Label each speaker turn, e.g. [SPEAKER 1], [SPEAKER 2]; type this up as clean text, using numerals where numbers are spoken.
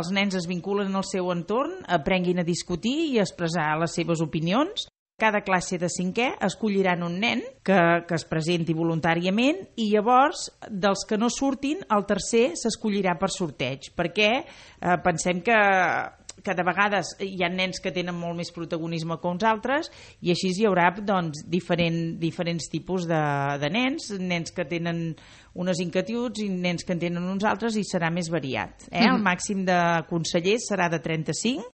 [SPEAKER 1] els nens es vinculen al seu entorn, aprenguin a discutir i a expressar les seves opinions. Cada classe de 5è escolliran un nen que es presenti voluntàriament i llavors, dels que no surtin, el tercer s'escollirà per sorteig, perquè pensem que de vegades hi ha nens que tenen molt més protagonisme que uns altres i així hi haurà doncs, diferents tipus de nens que tenen unes inquietuds i nens que en tenen uns altres i serà més variat. El màxim de consellers serà de 35